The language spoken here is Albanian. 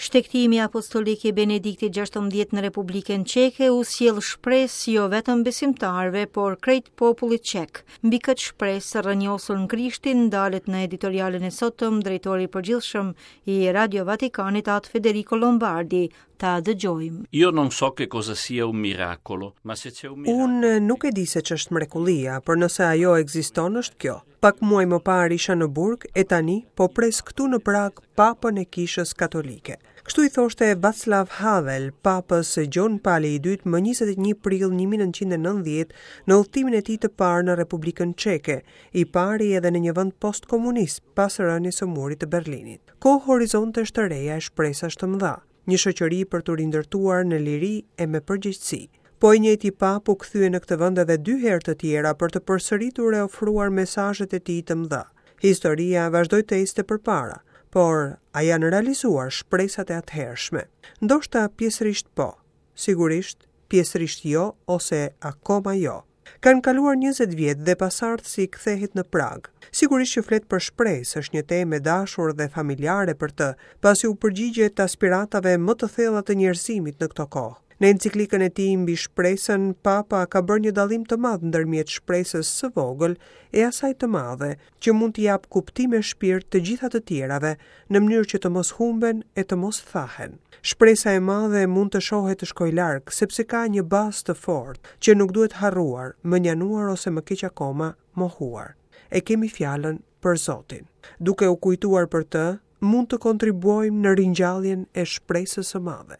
Shtegtimi apostolik i Benediktit 16 në Republikën Çeke u sjell shpresë jo vetëm besimtarëve, por krejt popullit çek. Mbi këtë shpresë të rrënjosur në Krishtin ndalet në editorialin e sotëm drejtori i përgjithshëm i Radio Vatikanit Atë Federico Lombardi. Ta dëgjojmë. Io non so che cosa sia un miracolo, ma se c'è un miracolo. Unë nuk e di se ç'është mrekullia, por nëse ajo ekziston është kjo. Pak muaj më parë isha në burg e tani po pres këtu në Prag Papën e Kishës Katolike. Kështu i thoshte Václav Havel, Papës Gjon Pali i II më 21 prill 1990 në udhëtimin e tij të parë në Republikën Çeke, i pari edhe në një vend postkomunist pas rënies së Murit të Berlinit. Kohë horizontesh të reja e shpresash të mëdha. Një shoqëri për t'u rindërtuar në liri e me përgjegjësi. Po i njëjti papë u kthye në këtë vend edhe dy herë të tjera për të përsëritur e ofruar mesazhet e tij të mëdha. Historia vazhdoi të ecte përpara, por a janë realizuar shpresat e atëhershme? Ndoshta pjesërisht po, sigurisht pjesërisht jo ose akoma jo. Kanë kaluar 20 vjet dhe pasardhësi kthehet në Prag. Sigurisht që flet për shpresë, është një temë e dashur dhe familjare për të, pasi u përgjigjet aspiratave më të thella të njerëzimit në këto kohë. Në enciklikën e tij mbi shpresën, Papa ka bërë një dallim të madh ndërmjet shpresës së vogël e asaj të madhe, që mund t'i japë kuptim e shpirt të gjitha të tjerave, në mënyrë që të mos humben e të mos thahen. Shpresa e madhe mund të shohë e të shkojë larg, sepse ka një bazë të fortë, që nuk duhet harruar, mënjanuar ose më keq akoma, mohuar. E kemi fjalën për Zotin. Duke u kujtuar për të, mund të kontribuojmë në ringjalljen e shpresës së madhe.